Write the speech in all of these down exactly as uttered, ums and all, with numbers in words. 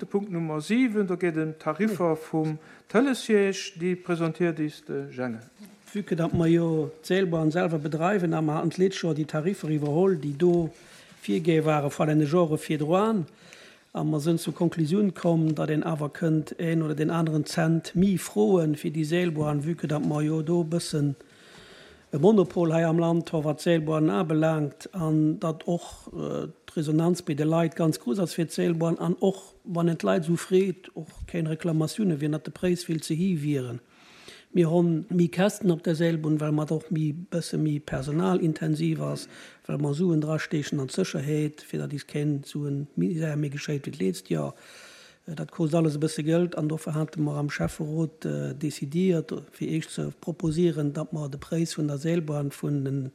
De Punkt Nummer siwen, do geet et ëm d'Tariffer vum Tëlessiège. Déi presentiert is de Jänge. Vue que datt mer jo d'Seelbahn selwer bedreiwen a mer haten d'lescht Joer déi Tariffer iwwerholl, déi do virgé ware vor deene Jore virdroan, a mer sënn zur Konklusioun komm, datt een awer kënnt een oder deen aneren Cent mi froen fir déi Seelbahn, vue que datt mer jo do e bëssen e Monopol hei am Land hu wat d'Seelbahnen abelaangt an datt och d'Resonanz bei de Leit ganz grouss ass fir d'Seelbahn an och wann een d'Leit esou freet, och keng Reklamatioune wieren, datt de Präis vill ze héich wieren. Mir hunn méi Käschten op der Seelbunn, well mat och méi bësse méi personalintensiv ass, well mer Suen drasteechen an d'Sécherheet, fir datt is keng Suen Misär méi geschéit wéi d'leetzt Joer. Dat kost alles e bësse Geld an dofir hate mer am Schäfferot décidiert, fir Iech ze proposieren, datt mer de Präis vun der Seelbahn vun den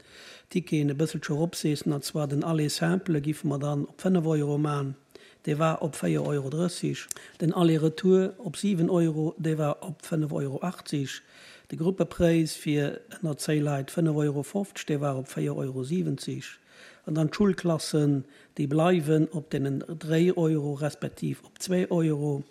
Ticketen e bësselche eropseessen, an zwar den Aller simple giffe mer dann op fënnef Euro man, dee war op véier Euro drësseg, den Aller-retour op siwen Euro, dee war op fënnef Euro achtzeg, de Gruppepräis fir ënner zéi Leit fënnef Euro fofzeg, dee war op véier Euro siwenzeg, an dann d'Schulklassen, déi bleiwen op deenen dréi Euro respektiv op zwee Euro,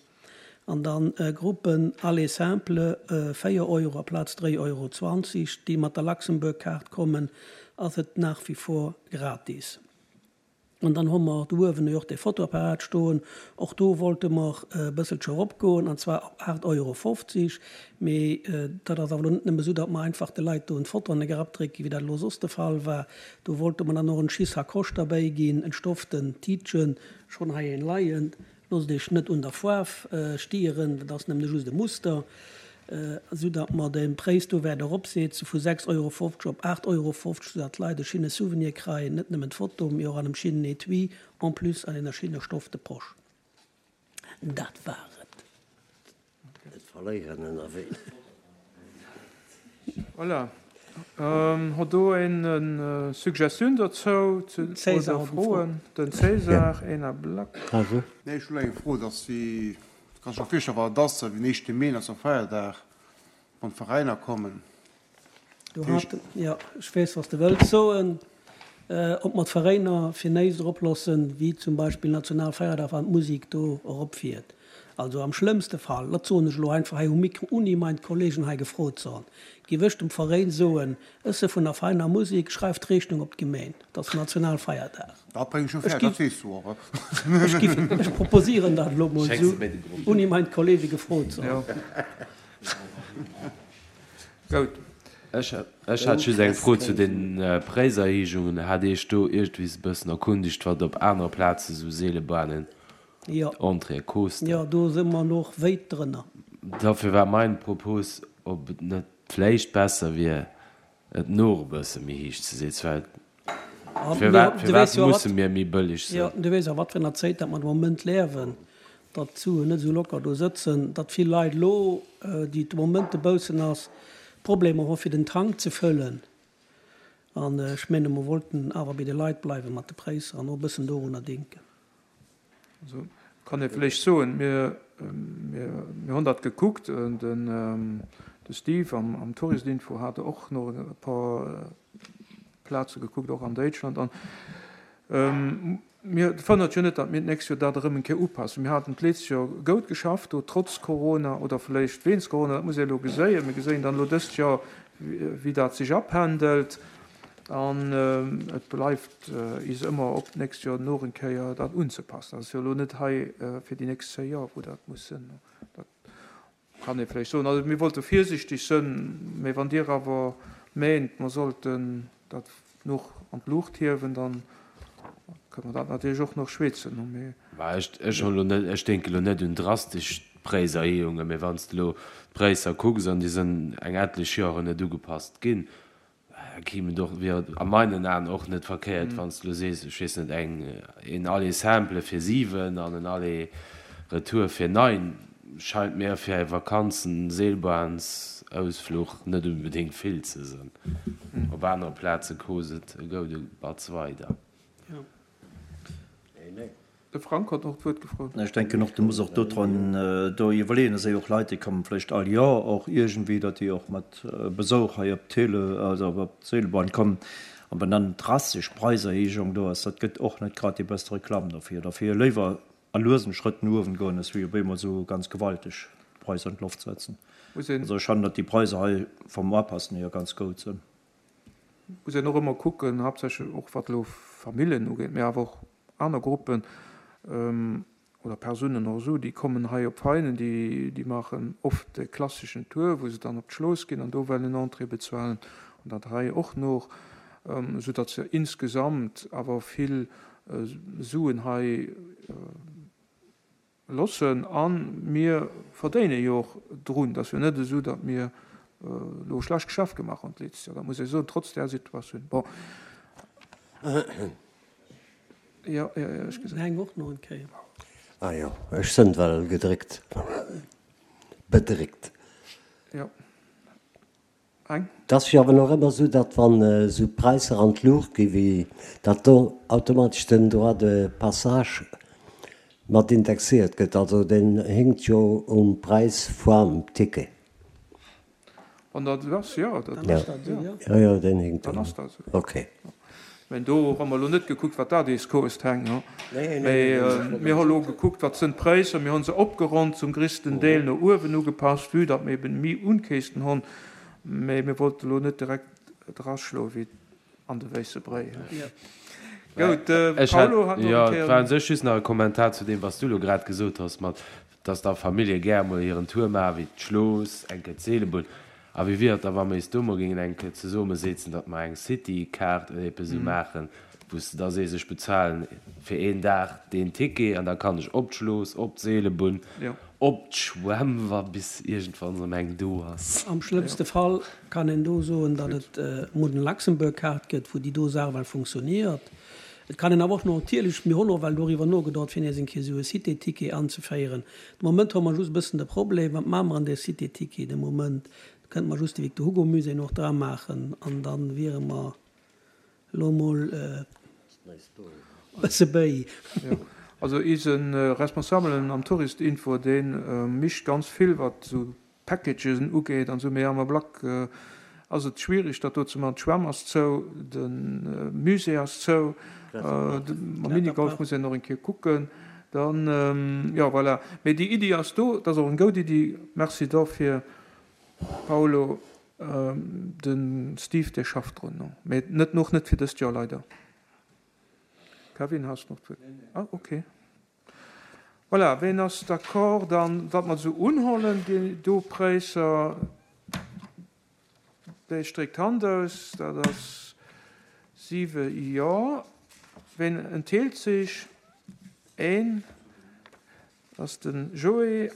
an dann Gruppen Aller simple véier Euro aplaz dréi Euro zwanzeg, déi mat der Luxembourg Card kommen, ass et nach wie vor gratis. An dann hu mer do uewen jo och dee Fotoapparat stoen. Och do wollte mer e bësselche eropgoen, an zwar op aacht Euro fofzeg. Mee dat ass awer elo net nëmme esou, datt mer einfach de Leit do en Foto an de Grapp drécken, wéi dat elo soss de Fall war. Do wollte mer dann och en Schissacoche derbäi ginn, en stoften Tiitchen, schonn hei een leien. Loosst Iech net un der Faarf stieren, dat ass nëmme just e Muster, esou datt mer de Präis do wäert eropsetzen vu sechs Euro fofzeg op aacht Euro fofzeg, esou datt d'Leit e schinne Souvenir kreien, net nëmmen d'Foto, mee och an engem schinnen Etui, en plus an enger schinner stofte Posch. Dat war et. Net verléieren ënnerwee. Voilà. Hott do een en Suggestioun dozou oder Froen? Den César, een Ablack. Nee, ech hunn eng Fro, dass déi, kann ech mer virstellen, wat et ass, den éischte Mee, dat ass e Feierdag, wann d'Veräiner kommen. Do hat, jo, ech weess, wat s de wëlls soen, ob mer d'Veräiner fir néist eroploossen, wéi zum Beispill Nationalfeierdag, wann d'Musek do eropfiert. Also am schlëmmste Fall, dat soen ech elo einfach hei um Mikro, ouni mein Kollegen hei gefrot ze honn, giff ech dem Veréin soen, Ech se vun der feiner Musik, schreift d'Rechnung op d'Gemeen, et ass Nationalfeierdag. Dat bréng ech jo fäerdeg, dat weess du och. Ech giff, ech proposieren dat elo mol esou, ouni mein Kollege gefrot ze honn. Gout. Ech hat just eng Fro zu den Präiserhéijungen. Hat Iech do iergendwees e bëssen erkundegt, wat op anere Plaze sou Seelebahnen Entrée koosten? Jo, do si mer och wéit drënner. Dofir war mein Propos, ob et net vléicht besser wier, et nooch e bësse méi héich ze setzen, well firwat, firwat musse mir méi bëlleg sinn? Jo, du weess a wat fir enger Zéit dat mer de Moment liewen, datt d'Suen net esou locker do sëtzen, datt vill Leit elo, déi de Moment dobaussen ass, Problemer hu fir den Tank ze fëllen. An ech menge mer wollten awer bei de Leit bleiwe mat de Präisser an och e bëssen dorunner denken. Also kann ee vläicht soen, mir, mir, mir hunn dat gekuckt, den, de Steve am, am Touristinfo hat och no e paar Plaze gekuckt, och an Déitschland. An mir fënnert jo net, datt mir d'nächst Joer dat erëm eng Kéier upassen. Mir haten d'letzcht Joer goud geschafft do, trotz Corona oder vläicht wéinst Corona, dat muss ee elo geséien. Mir geséien dann elo dëst Joer, wéi dat sech apendelt. An et bleift is ëmmer op, d'nächst Joer noch eng Kéier dat unzepassen. Dat ass jo elo net hei fir déi nächst zéi Joer, wou dat muss sinn. Dat kann ee vläicht soen. Also mir wollte virsichteg sënn, mä wann Dir awer meent, mer sollten dat noch an d'Luucht hiewen, dann kënne mer dat natierlech och noch schwätzen. Mee. Mä ech, ech hunn elo net, ech denke elo net un drastesch Präiserhéijungen, mä wann s de elo d'Präisser kucks, an déi sënn eng etlech Joren net ugepasst ginn, Da kéim et och, wier et a meinen Aen och net verkéiert, wann s de elo sees, ech weess net, eng, een Aller simple fir siwen an en Aller retour fir nein, scheint mir fir e Vakanzen-Seelbahnsausfluch net unbedéngt vill ze sënn. Op anere Plaze kost et e goude Batz weider. De Frank hat och d'Wuert gefrot. Ech denken och, du muss och dodrun do iwwerleeën, et si jo och Leit, déi kommen vläicht all Joer och iergendwéi, datt déi och mat Besuch hei op d'Tele, also op d'Seelbahn kommen. An wann dann drastesch Präiserhéijung do ass, dat gëtt och net grad déi beste Reklamm dofir. Dofir léiwer a luesen Schrëtt no uewen goen ass, wéi op eemol esou ganz gewalteg d'Preiser an d'Loft setzen. Also ech fannen, datt déi Preiser hei vom Apassen hier ganz goud sënn. Muss een och ëmmer kucken, haaptsächlech och wat elo Familljen ugeet, mä awer och aner Gruppen oder Persounen och esou, déi kommen hei op Veinen, déi, déi maachen oft de klasseschen Tour, wou se dann op d'Schlooss ginn an do wellen en Entrée bezuelen an dat hei och noch, soudatt se insgesamt awer vill Suen hei Loossen. A mir verdéine jo och drun. Et ass jo net esou, datt mir elo e schlecht Geschäft gemaach hunn d'letzt Joer. Dat muss ee soen, trotz där Situatioun. Bon. Jo, jo, jo, ech gesinn. Heng och no en Kéier. Ah jo, ech sënn well gedréckt, bedréckt. Jo. Eng. Et ass jo awer nach ëmmer esou, datt wann esou d'Präisser an d'Luucht gi wéi datt do automatesch den Droit de passage mat indexéiert gëtt. Also deen hinkt jo um Präis voam Ticket. Wann dat esou ass, jo. Dann ass dat esou, jo. Jo, jo, deen hinkt Dann drun. ass dat esou. Okay. Mä do hu mer elo net gekuckt, wat dat eis kost, Heng. Mä mir hu elo gekuckt, wat sënn d'Präisser. Mir hu se opgeronnt, zum gréissten Deel no uewen ugepasst, vue datt mir eben méi Unkästen hunn. Mä mir wollte elo net direkt draschloen wéi an de wéisse Bréi. Gout, de Paulo hat nach eng Kéier. Jo, et war u sech just nach e Kommentar zu deem, wat s du elo grad gesot hues, mat dass da Famillje gär emol hiren Tour maachen, wéi d'Schlooss, eng Kéier d'Seelebunn. A wéi wier et da, wa mir is do mol géingen eng Kéier zesummesetzen, datt mer eng City-Kaart oder eppes esou maachen, wou s de da sees, ech bezahlen fir een Dag deen Ticket an da kann ech op d'Schlooss, op d'Seelebunn, op d'Schwämm, wa bis iergendwann erëm eng do ass. Am schlëmmste Fall kann een do soen, datt et emol den Luxembourg-Kaart gëtt, wou déi do Saach well funktioniert. Et kann een awer och natierlech, mir hunn och well doriwwer nogedacht, fir nees eng Kéier esou e Cité-Ticket anzeféieren. De Moment hu mer just e bëssen de Problem, wat maache mer an där Cité-Ticket de Moment? Da kënnte mer just de Victor Hugo Musée och dra maachen an da wiere mer elo emol e bësse béi. Jo, also eise Responsabelen am Tourist-Info, dee micht ganz vill, wat esou Packagen ugeet an esou, mee am Ablack ass et schwierig dat do ze man. D'Schwämm ass zou, de Musée ass zou, mam Minigolf muss een och eng Kéier kucken. Dann, jo voilà. Mee déi Iddi ass do, dat ass och eng goud Iddi. Merci dofir Paolo. De Steve dee schafft drun, mee net, och net fir dëst Joer leider. Kevin, has de nach d'Wuert? Ah ok. Voilà, ween ass d'accord dann, datt mer se unhollen, déi do Präisser? Déi stréckt d'Hand aus. Dat ass siwe Jo. Ween entheelt sech? Een, dat ass de Joé.